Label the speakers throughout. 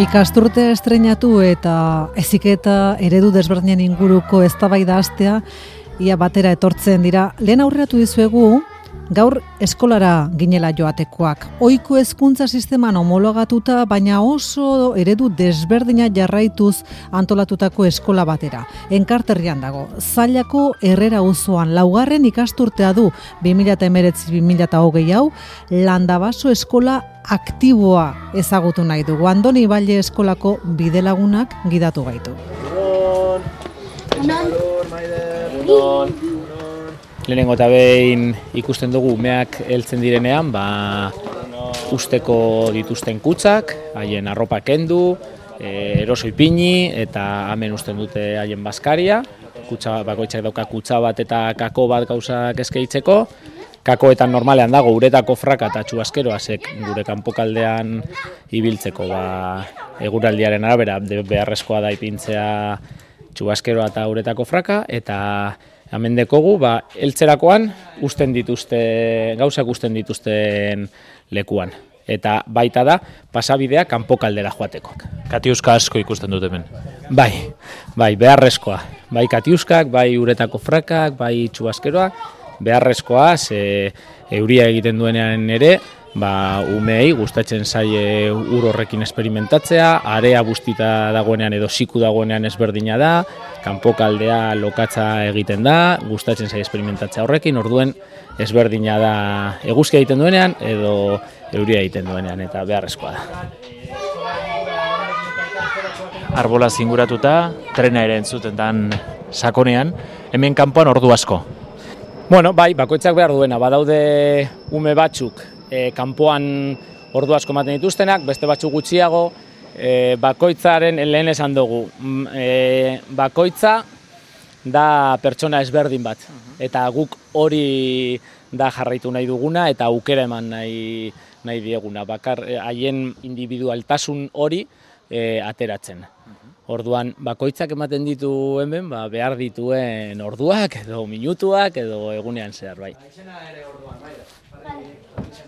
Speaker 1: Ikasturte estreinatu eta heziketa eredu desberdinen inguruko eztabaida hastea ia batera etortzen dira. Lehen aurreratu dizuegu gaur eskolara ginela joatekoak. Ohiko hezkuntza sisteman homologatuta, baina oso eredu desberdina jarraituz antolatutako eskola batera. Enkarterrian dago. Zailako Herrera auzoan 4. ikasturtea du 2019-2020 hau, Landabaso eskola aktiboa ezagutu nahi dugu. Andoni Iballe eskolako bidelagunak gidatu gaitu.
Speaker 2: Lehenengo eta behin ikusten dugu umeak heltzen direnean, usteko dituzten kutzak, haien arropa kendu, eroso ipini eta hemen usten dute haien bazkaria. Kutsa bakoitzak dauka kutsa bat eta kako bat gauzak eskeitzeko. Kakoetan normalean dago uretako fraka eta txuaskeroazek gure kanpokaldean ibiltzeko. Eguraldiaren arabera beharrezkoa da ipintzea txuaskeroa eta uretako fraka, eta hemen dekogu, heltzerakoan gauzak usten dituzten lekuan. Eta baita da, pasabidea kanpokaldera joateko.
Speaker 3: Katiuska asko ikusten dut hemen.
Speaker 2: Bai, beharrezkoa. Bai katiuskak, bai uretako frakak, bai txuaskeroak, beharrezkoa, euria egiten duenean ere, umeei gustatzen zaie ur horrekin esperimentatzea, area bustita dagoenean edo siku dagoenean ezberdina da, kanpokaldea lokatza egiten da, gustatzen zaie esperimentatzea horrekin, orduen ezberdina da eguzkia egiten duenean edo euria egiten duenean, eta beharrezkoa da.
Speaker 3: Arbola zinguratuta, trena ere entzutetan sakonean, hemen kanpoan ordu asko.
Speaker 2: Bakoitzak behar duena, badaude ume batzuk kanpoan ordu asko ematen dituztenak, beste batzuk gutxiago, bakoitzaren lehen esan dugu. Bakoitza da pertsona ezberdin bat, eta guk hori da jarraitu nahi duguna eta aukera eman nahi dieguna. Haien individualtasun hori ateratzen. Orduan, bakoitzak ematen ditu hemen, behar dituen orduak edo minutuak edo egunean zehar, bai.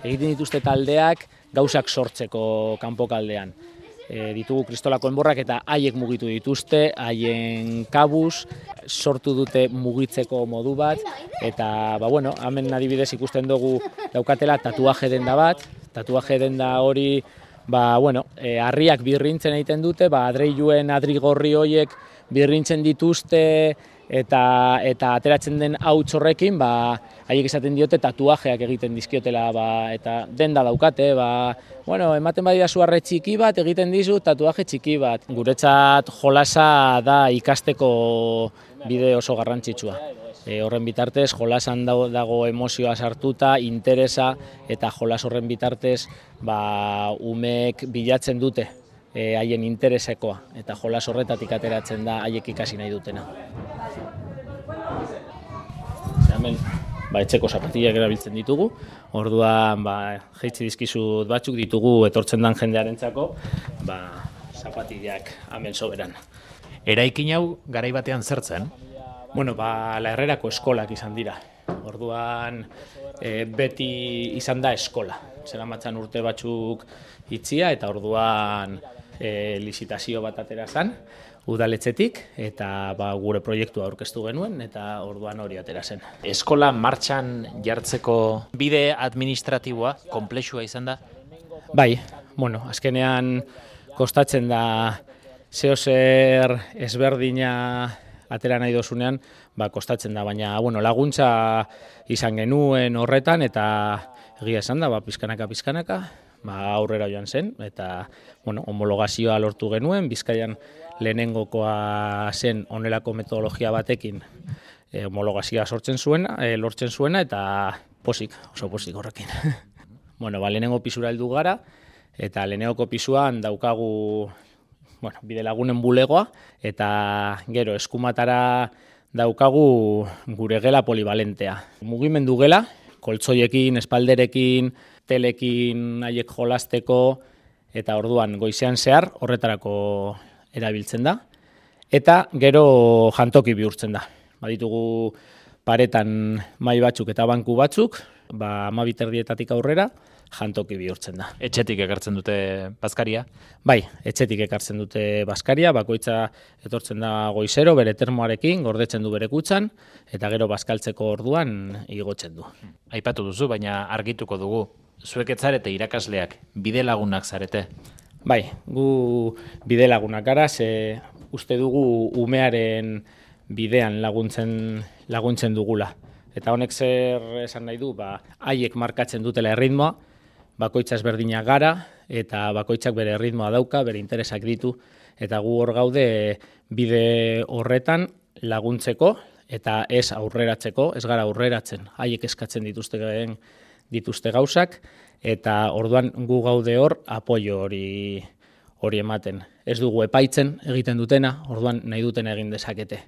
Speaker 2: Egiten dituzte taldeak gauzak sortzeko kanpokaldean. Ditugu kristolako enborrak eta haiek mugitu dituzte, haien kabuz, sortu dute mugitzeko modu bat, eta hemen adibidez ikusten dugu daukatela tatuaje denda bat, tatuaje denda hori harriak birrintzen egiten dute, adreiluen adrigorri horiek birrintzen dituzte eta ateratzen den hauts horrekin, haiek esaten diote tatuajeak egiten dizkiotela, eta denda daukate, ematen badidazu arre txiki bat, egiten dizu tatuaje txiki bat. Guretzat jolasa da ikasteko bide oso garrantzitsua. Horren bitartez, jolasan dago emozioa sartuta, interesa, eta jolas horren bitartez umeek bilatzen dute haien interesekoa, eta jolas horretatik ateratzen da haiek ikasi nahi dutena. Hemen etxeko zapatillak erabiltzen ditugu, orduan jaitsi dizkizut batzuk ditugu etortzen dan jendearentzako, zapatillak hemen soberan.
Speaker 3: Eraikin hau garai batean zertzen?
Speaker 2: La Herrerako eskolak izan dira. Orduan beti izan da eskola. Zeramatzan urte batzuk itzia eta orduan lizitazio bat atera zen udaletxetik eta gure proiektua aurkeztu genuen eta orduan hori atera zen.
Speaker 3: Eskola martxan jartzeko bide administratiboa konplexua izan da?
Speaker 2: Bai, azkenean kostatzen da zeozer ezberdina atera nahi dozunean, kostatzen da, baina laguntza izan genuen horretan, eta egia esan da, pizkanaka, aurrera joan zen, eta homologazioa lortu genuen, Bizkaian lehenengokoa zen honelako metodologia batekin homologazioa lortzen zuena, eta oso posik horrekin. Lehenengo pisura heldu gara, eta lehenengoko pisuan daukagu bidelagunen bulegoa, eta gero eskumatara daukagu gure gela polibalentea. Mugimendu gela, koltzoiekin, espalderekin, telekin haiek jolasteko, eta orduan goizean zehar horretarako erabiltzen da. Eta gero jantoki bihurtzen da. Baditugu paretan mahai batzuk eta banku batzuk, 12 erdietatik aurrera, jantoki bihurtzen da.
Speaker 3: Etxetik ekartzen dute bazkaria?
Speaker 2: Bai, etxetik ekartzen dute bazkaria, bakoitza etortzen da goizero bere termoarekin, gordetzen du bere kutxan, eta gero bazkaltzeko orduan igotzen du.
Speaker 3: Aipatu duzu, baina argituko dugu. Zuek ez zarete irakasleak, bide lagunak zarete.
Speaker 2: Bai, gu bide lagunak gara, ze uste dugu umearen bidean laguntzen dugula. Eta honek zer esan nahi du, haiek markatzen dutela erritmoa, bakoitza ezberdinak gara, eta bakoitzak bere erritmoa dauka, bere interesak ditu, eta gu hor gaude bide horretan laguntzeko, eta ez aurreratzeko, ez gara aurreratzen, haiek eskatzen dituzte gauzak, eta orduan gu gaude hor apoio hori ematen. Ez dugu epaitzen egiten dutena, orduan nahi duten egin dezakete.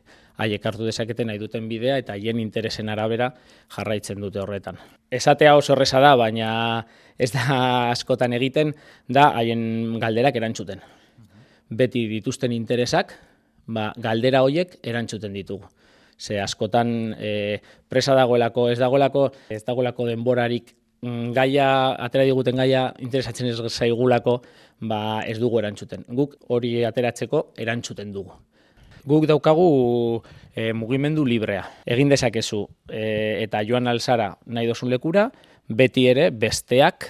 Speaker 2: Haiek hartu dezakete nahi duten bidea eta haien interesen arabera jarraitzen dute horretan. Esatea oso erreza da, baina ez da askotan egiten, da haien galderak erantzuten. Beti dituzten interesak, galdera horiek erantzuten ditugu. Ze askotan presa dagoelako, ez dagoelako denborarik atera diguten gaia interesatzen ez zaigulako, ez dugu erantzuten. Guk hori ateratzeko erantzuten dugu. Guk daukagu mugimendu librea. Egin dezakezu eta joan alzara nahi dozun lekura, beti ere besteak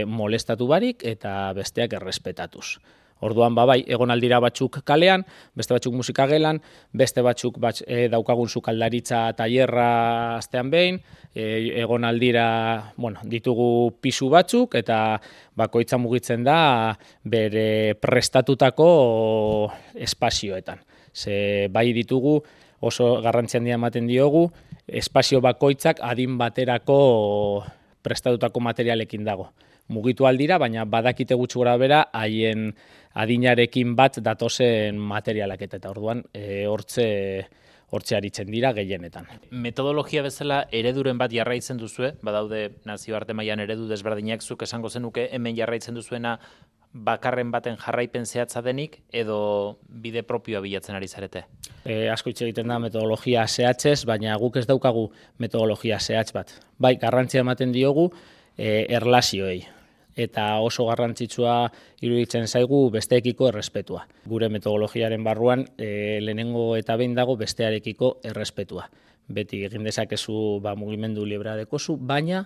Speaker 2: molestatu barik eta besteak errespetatuz. Orduan, bai, egon aldira batzuk kalean, beste batzuk musika gelan, beste batzuk daukagun sukaldaritza tailerra astean behin, egon aldira, ditugu pisu batzuk, eta bakoitza mugitzen da bere prestatutako espazioetan. Ze bai ditugu, oso garrantzi handia ematen diogu, espazio bakoitzak adin baterako prestatutako materialekin dago. Mugitu aldira, baina badakite gutxi gora bera, haien adinarekin bat datozen materialak eta orduan hortze aritzen dira gehienetan.
Speaker 3: Metodologia bezala ereduren bat jarraitzen duzue, badaude nazioarte mailan eredu desberdinak, zuk esango zenuke hemen jarraitzen duzuena bakarren baten jarraipen zehatza denik edo bide propioa bilatzen ari zarete?
Speaker 2: Asko hitz egiten da metodologia zehatzez, baina guk ez daukagu metodologia zehatz bat. Bai, garrantzia ematen diogu erlazioei. Eta oso garrantzitsua iruditzen zaigu besteekiko errespetua. Gure metodologiaren barruan lehenengo eta behin dago bestearekiko errespetua. Beti egin dezakezu mugimendu librea dekozu, baina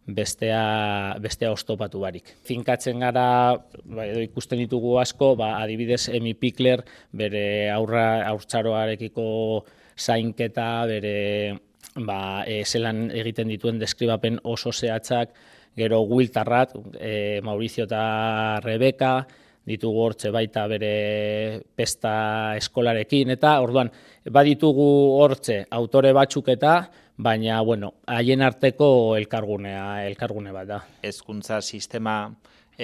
Speaker 2: bestea oztopatu barik. Finkatzen gara, edo ikusten ditugu asko, adibidez Emi Pikler bere haurtzaroarekiko zainketa, bere zelan egiten dituen deskribapen oso zehatzak, gero Will Tarrat, Mauricio eta Rebeka, ditugu hortze baita bere pesta eskolarekin, eta orduan, baditugu hortze autore batzuk eta, baina, haien arteko elkargune bat da.
Speaker 3: Hezkuntza sistema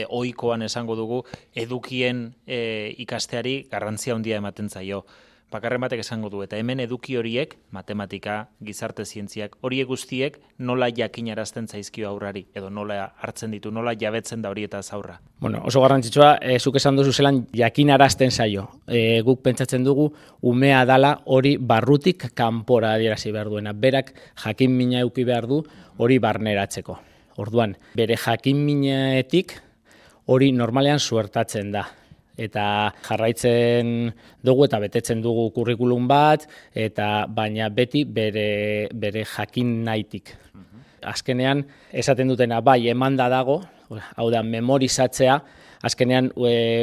Speaker 3: ohikoan esango dugu, edukien ikasteari garrantzia handia ematen zaio. Bakarren batek esango du, eta hemen eduki horiek, matematika, gizarte zientziak, horiek guztiek nola jakinarazten zaizkio aurrari, edo nola hartzen ditu, nola jabetzen da horietaz aurra.
Speaker 2: Oso garrantzitsua, zuk esan duzu zelan jakinarazten zaio. Guk pentsatzen dugu, umea dala hori barrutik kanpora adierazi behar duena. Berak jakin mina eduki behar du hori barneratzeko. Orduan, bere jakin minetik hori normalean suertatzen da. Eta jarraitzen dugu eta betetzen dugu kurrikulum bat, baina beti bere jakin nahitik. Azkenean, esaten dutena, bai, emanda dago, hau da, memorizatzea, azkenean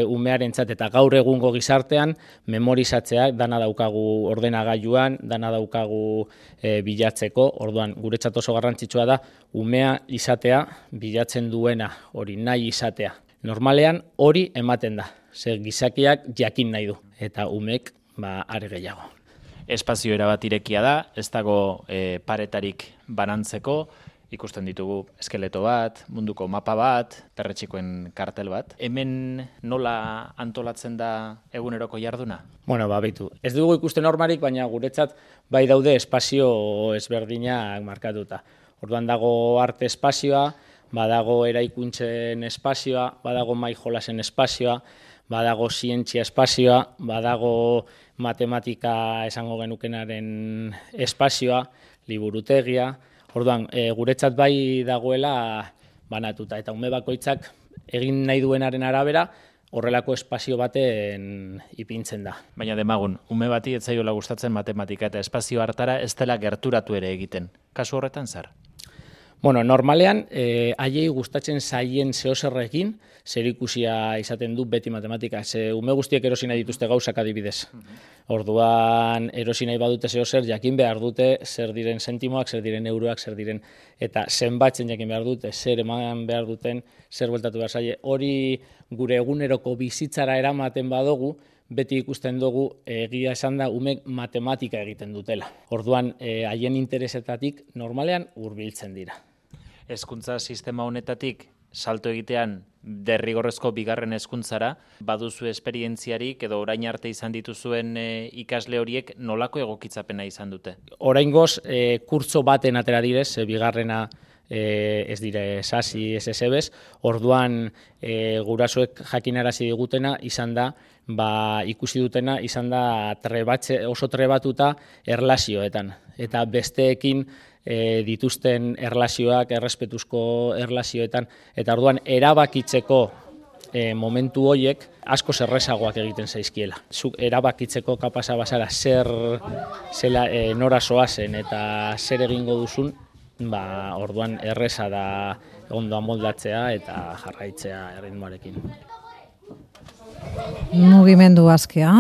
Speaker 2: umearentzat eta gaur egungo gizartean, memorizatzea dana daukagu ordenagailuan, dana daukagu bilatzeko, orduan guretzat oso garrantzitsua da, umea izatea, bilatzen duena, hori nahi izatea. Normalean hori ematen da, zer gizakiak jakin nahi du, eta umek are gehiago.
Speaker 3: Espazio erabat irekia da, ez dago paretarik banantzeko, ikusten ditugu eskeleto bat, munduko mapa bat, perretxikoen kartel bat. Hemen nola antolatzen da eguneroko jarduna?
Speaker 2: Beitu. Ez dugu ikusten hormarik, baina guretzat bai daude espazio ezberdinak markatuta. Orduan dago arte espazioa, badago eraikuntzen espazioa, badago mai jolasen espazioa, badago zientzia espazioa, badago matematika esango genukenaren espazioa, liburutegia. Orduan, guretzat bai dagoela banatuta. Eta ume bakoitzak egin nahi duenaren arabera, horrelako espazio baten ipintzen da.
Speaker 3: Baina demagun, ume bati ez zaiola gustatzen matematika eta espazio hartara ez dela gerturatu ere egiten. Kasu horretan zer?
Speaker 2: Bueno, normalean, haiei gustatzen zaien zehoserrekin, zerikusia izaten du beti matematika. Ume guztiek erosi nahi dituzte gauzak adibidez. Orduan, erosi nahi badute zehozer, jakin behar dute zer diren sentimoak, zer diren euroak, zer diren, eta zenbatzen jakin behar dute, zer eman behar duten, zer bueltatu behar zaie. Hori gure eguneroko bizitzara eramaten badugu, beti ikusten dugu egia esan da umek matematika egiten dutela. Orduan, haien interesetatik normalean hurbiltzen dira.
Speaker 3: Hezkuntza sistema honetatik salto egitean derrigorrezko bigarren hezkuntzara, baduzu esperientziarik edo orain arte izan dituzuen ikasle horiek nolako egokitzapena izan dute?
Speaker 2: Oraingoz, kurtso baten atera direz, bigarrena ez dire sasi, ez ezebez, orduan gurasoek jakinarazi digutena izan da, ikusi dutena izan da oso trebatuta erlazioetan, eta besteekin dituzten erlazioak, errespetuzko erlazioetan, eta orduan erabakitzeko momentu horiek asko errazagoak egiten zaizkiela. Zuk erabakitzeko kapasa bazara nora zoazen eta zer egingo duzun, orduan erreza da ondo amoldatzea eta jarraitzea erritmoarekin.
Speaker 1: Mugimendu askea,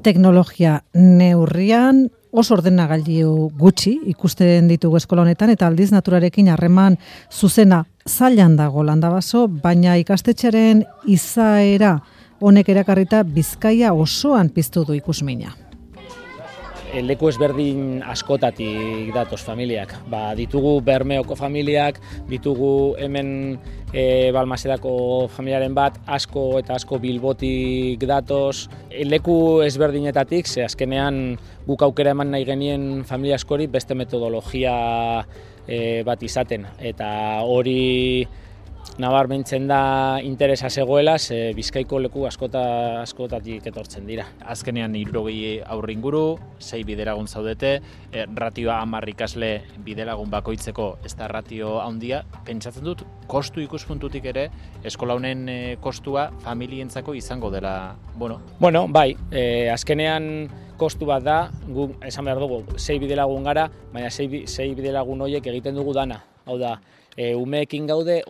Speaker 1: teknologia neurrian, oso ordenagailu gutxi ikusten ditugu eskola honetan eta aldiz naturarekin harreman zuzena zailan dago Landabaso, baina ikastetxearen izaera honek erakarrita Bizkaia osoan piztu du ikusmina.
Speaker 2: Leku ezberdin askotatik datoz familiak. Ditugu Bermeoko familiak, ditugu hemen Balmasedako familiaren bat, asko eta asko Bilbotik datoz. Leku ezberdinetatik, ze azkenean guk aukera eman nahi genien familia askori beste metodologia bat izaten. Eta hori nabarmentzen da interesa zegoela, ze Bizkaiko leku askotatik etortzen dira.
Speaker 3: Azkenean 60 haur inguru, 6 bidelagun zaudete, ratioa 10 ikasle bidelagun bakoitzeko ez da ratio handia. Pentsatzen dut, kostu ikuspuntutik ere, eskola honen kostua familientzako izango dela,
Speaker 2: Bueno, bai, azkenean kostu bat da, guk esan behar dugu, 6 bidelagun gara, baina 6 bidelagun horiek egiten dugu dana. Hau da, umeekin gaude,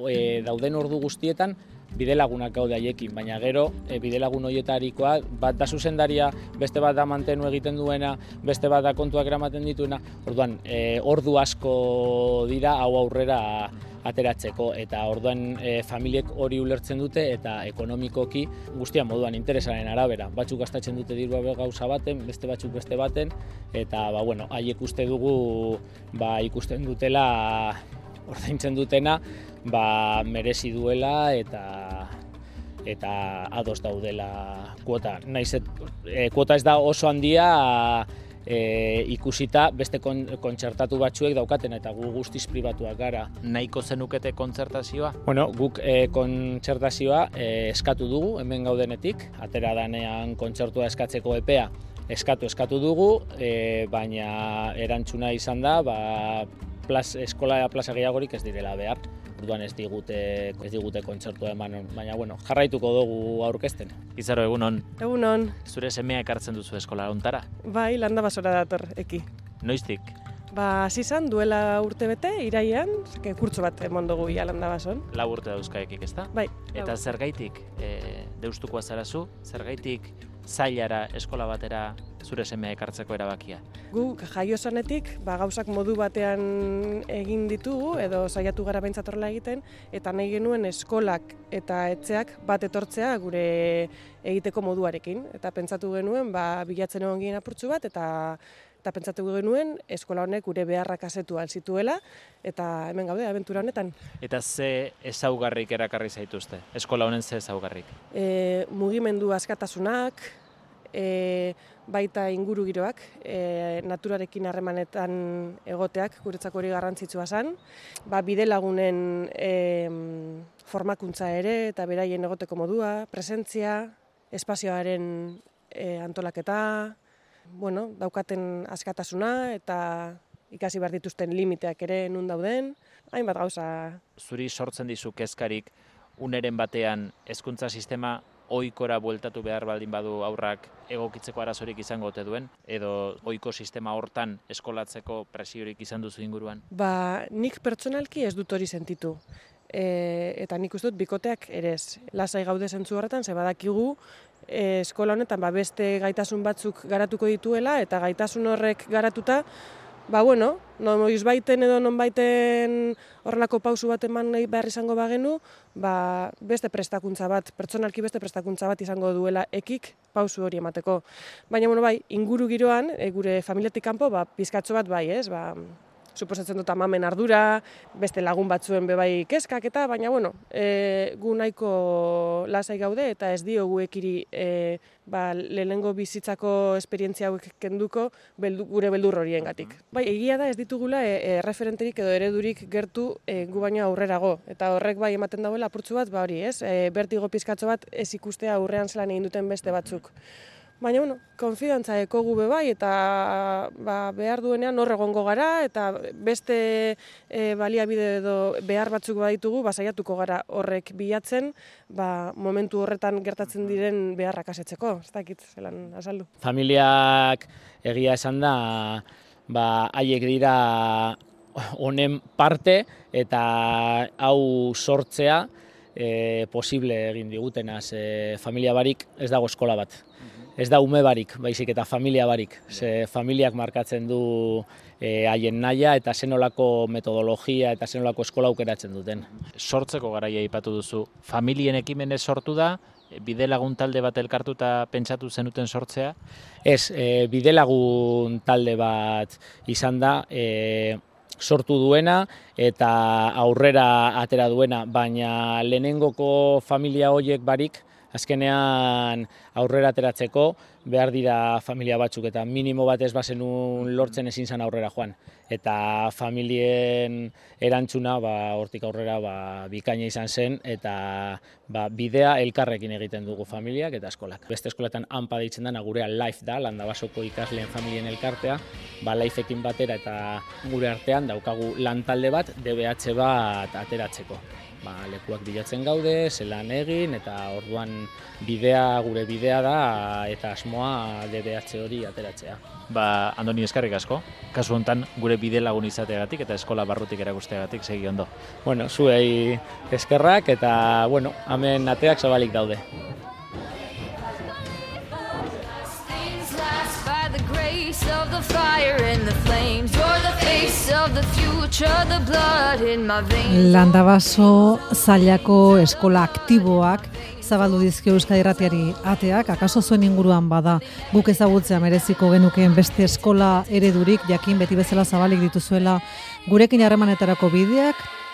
Speaker 2: dauden ordu guztietan, bidelagunak gaude haiekin, baina gero bidelagun horietarikoa, bat da zuzendaria, beste bat da mantenu egiten duena, beste bat da kontuak eramaten dituena, orduan, ordu asko dira hau aurrera ateratzeko, eta orduan familiek hori ulertzen dute, eta ekonomikoki guztian moduan interesaren arabera. Batzuk gastatzen dute dirua gauza baten, beste batzuk beste baten, eta haiek uste dugu ikusten dutela, ordaintzen dutena, merezi duela eta ados daudela kuota. Naiz kuota ez da oso handia ikusita beste kontzertatu batzuek daukaten eta gu guztiz pribatuak gara.
Speaker 3: Nahiko zenukete kontzertazioa?
Speaker 2: Guk kontzertazioa eskatu dugu hemen gaudenetik, atera danean kontzertua eskatzeko epea eskatu dugu, baina erantzuna izan da, eskola plaza gehiagorik ez direla behar. Orduan ez digute kontzertua eman, baina jarraituko dugu aurkezten.
Speaker 3: Izaro, egunon.
Speaker 4: Egunon.
Speaker 3: Zure semea ekartzen duzu eskola hontara?
Speaker 4: Bai, Landabasora dator eki.
Speaker 3: Noiztik?
Speaker 4: Hasi izan duela urtebete, irailean, kurtso bat emon dugu ia Landabason.
Speaker 3: 4 urte dauzkaekik, ezta?
Speaker 4: Bai.
Speaker 3: Eta zergaitik deustukoa zarazu, zergaitik zailara eskola batera zure semea ekartzeko erabakia?
Speaker 4: Gu jaio zanetik, gauzak modu batean egin ditugu, edo saiatu gara behintzat horrela egiten, eta nahi genuen eskolak eta etxeak bat etortzea gure egiteko moduarekin. Eta pentsatu genuen, bilatzen egon ginen apurtxu bat, eta pentsatu genuen eskola honek gure beharrak asetu alzituela, eta hemen gaude, abentura honetan.
Speaker 3: Eta ze ezaugarrik erakarri zaituzte? Eskola honen ze ezaugarrik?
Speaker 4: Mugimendu askatasunak, baita ingurugiroak, naturarekin harremanetan egoteak, guretzako hori garrantzitsua zen, bidelagunen formakuntza ere eta beraien egoteko modua, presentzia, espazioaren antolaketa, daukaten askatasuna eta ikasi behar dituzten limiteak ere nun dauden, hainbat gauza.
Speaker 3: Zuri sortzen dizu kezkarik uneren batean hezkuntza sistema ohikora bueltatu behar baldin badu aurrak egokitzeko arazorik izango ote duen, edo ohiko sistema hortan eskolatzeko presiorik izan duzu inguruan?
Speaker 4: Nik pertsonalki ez dut hori sentitu. Eta nik uste dut bikoteak ere ez. Lasai gaude zentzu horretan, ze badakigu eskola honetan beste gaitasun batzuk garatuko dituela, eta gaitasun horrek garatuta, noizbaiten edo nonbaiten horrelako pausu bat eman nahi behar izango bagenu, beste prestakuntza bat, pertsonalki beste prestakuntza bat izango duela ekik pausu hori emateko. Baina, inguru giroan, gure familiatik kanpo, pizkatxo bat bai, ez? Suposatzen dut amamen ardura, beste lagun batzuen bebai kezkak eta, baina, gu nahiko lasai gaude eta ez diogu ekiri lehenengo bizitzako esperientzia hauek kenduko gure beldur horiengatik. Egia da ez ditugula referenterik edo eredurik gertu gu baino aurrerago, eta horrek bai ematen dauela apurtzu bat, hori ez, bertigo pizkatxo bat ez ikustea aurrean zelan egin duten beste batzuk. Baina, konfidantza ekogu bai, eta behar duenean hor egongo gara, eta beste baliabide edo behar batzuk baditugu, saiatuko gara horrek bilatzen, momentu horretan gertatzen diren beharrak asetzeko, ez dakit, zelan azaldu.
Speaker 2: Familiak egia esan da, haiek dira honen parte, eta hau sortzea posible egin digutenaz. Familia barik ez dago eskola bat. Ez da ume barik, baizik eta familia barik. Familiak markatzen du haien nahia eta zenolako metodologia eta zenolako eskola aukeratzen duten.
Speaker 3: Sortzeko garaia aipatu duzu, familien ekimenez sortu da, bidelagun talde bat elkartuta pentsatu zenuten sortzea?
Speaker 2: Ez, bidelagun talde bat izan da, sortu duena eta aurrera atera duena, baina lehenengoko familia horiek barik, azkenean aurrera ateratzeko behar dira familia batzuk, eta minimo bat ez bazenun lortzen ezin zen aurrera joan. Eta familien erantzuna hortik aurrera bikaina izan zen, eta bidea elkarrekin egiten dugu familiak eta eskolak. Beste eskoletan ANPA deitzen dena gurea LIFE da, Landabasoko ikasleen familien elkartea, LIFEekin batera eta gure artean daukagu lantalde bat, DBH bat ateratzeko. Lekuak bilatzen gaude, zelan egin, eta orduan gure bidea da, eta asmoa DBH hori ateratzea.
Speaker 3: Andoni, eskerrik asko. Kasu honetan gure bide lagun izateagatik eta eskola barrutik erakusteagatik segi ondo.
Speaker 2: Zuei eskerrak eta, hemen ateak zabalik daude.
Speaker 1: Landabaso zailako eskola aktiboak zabaldu dizkio Euskadi Irratiari ateak, akaso zuen inguruan bada guk ezagutzea mereziko genukeen beste eskola eredurik, jakin beti bezala zabalik dituzuela gurekin harremanetarako bideak